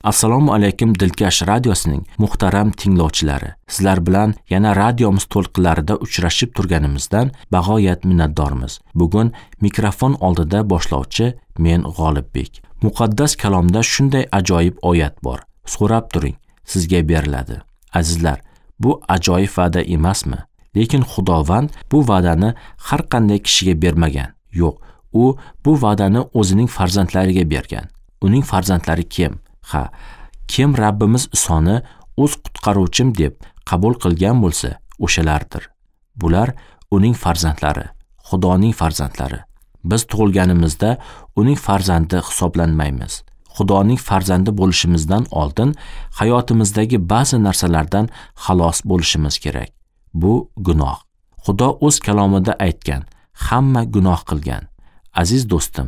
Assalomu alaykum Dilkash radiosining muhtaram tinglovchilari. Sizlar bilan yana radiomiz to'lqinlarida uchrashib turganimizdan bag'oyat minnatdormiz. Bugun mikrofon oldida boshlovchi men G'olibbek. Muqaddas kalomda shunday ajoyib oyat bor. So'rab turing, sizga beriladi. Azizlar, bu ajoyib va'da emasmi? Lekin Xudovand bu va'dani har qanday kishiga bermagan. Yo'q, u bu va'dani o'zining farzandlariga bergan. Uning farzandlari kim? Ha, kim Rabbimiz Isoni o'z qutqaruvchim deb qabul qilgan bo'lsa, o'shalardir. Bular uning farzandlari, Xudoning farzandlari. Biz tug'ilganimizda uning farzandi hisoblanmaymiz. Xudoning farzandi bo'lishimizdan oldin hayotimizdagi ba'zi narsalardan xalos bo'lishimiz kerak. Bu gunoh. Xudo o'z kalomida aytgan, hamma gunoh qilgan. Aziz do'stim,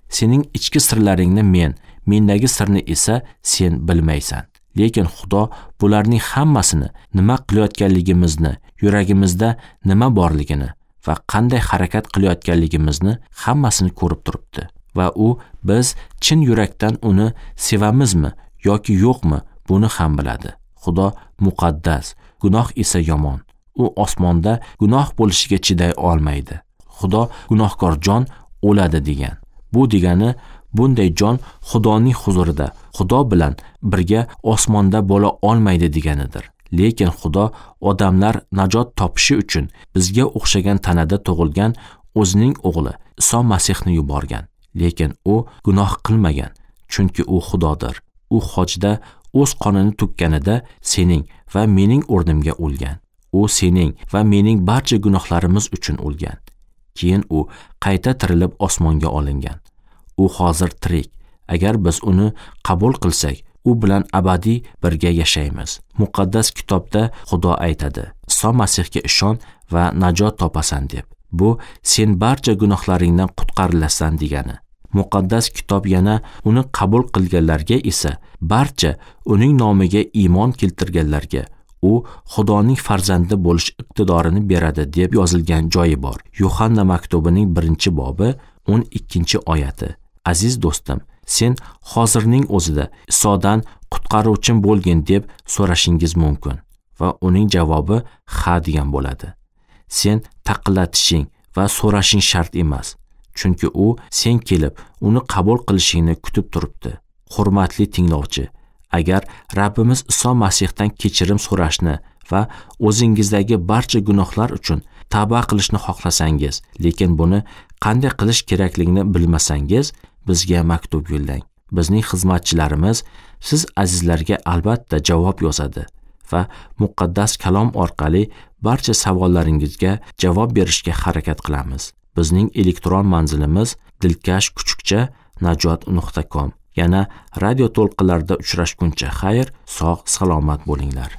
sening ichki sirlaringni men, mendagi sirni esa sen bilmaysan. Lekin Xudo bularning hammasini, nima qilayotganligimizni, yuragimizda nima borligini va qanday harakat qilayotganligimizni hammasini ko'rib turibdi. Va u biz chin yurakdan uni sevamizmi yoki yo'qmi, buni ham biladi. Xudo muqaddas, gunoh esa yomon. U osmonda gunoh bo'lishiga chiday olmaydi. Xudo gunohkor jon o'ladi degan. Bu degani bunday jon Xudoning huzurida, Xudo bilan birga osmonda bo'la olmaydi deganidir. Lekin Xudo odamlar najot topishi uchun bizga o'xshagan tanada tug'ilgan o'zining o'g'li Iso Masihni yuborgan. Lekin u gunoh qilmagan, chunki u Xudodir. U hojda o'z qonini to'kkanida sening va mening o'rnimga o'lgan. U sening va mening barcha gunohlarimiz uchun o'lgan. Keyin u qayta tirilib osmonga olingan. U hozir tirik. Agar biz uni qabul qilsak, u bilan abadiy birga yashaymiz. Muqaddas kitobda Xudo aytadi: Iso Masihga ishon va najot topasan deb. Bu sen barcha gunohlaringdan qutqarilasan degani. Muqaddas kitob yana uni qabul qilganlarga esa, barcha uning nomiga iymon keltirganlarga u Xudoning farzandi bo'lish iqtidorini beradi deb yozilgan joyi bor. Yuhanna maktubining 1-bobi 12-oyati. Aziz do'stim, sen hozirning o'zida Isodan qutqaruvchim bo'lgin deb so'rashingiz mumkin va uning javobi ha degan bo'ladi. Sen taqillatishing va so'rashing shart emas, chunki u sen kelib uni qabul qilishingni kutib turibdi. Hurmatli tinglovchi, agar Rabbimiz Iso Masihdan kechirim so'rashni va o'zingizdagi barcha gunohlar uchun tavba qilishni xohlasangiz, lekin buni qanday qilish kerakligini bilmasangiz, bizga maktub yo'llang. Bizning xizmatchilarimiz siz azizlarga albatta javob yozadi va muqaddas kalom orqali barcha savollaringizga javob berishga harakat qilamiz. Bizning elektron manzilimiz dilkash@najot.com. Yana radio to'lqinlarida uchrashguncha xayr, sog' salomat bo'linglar.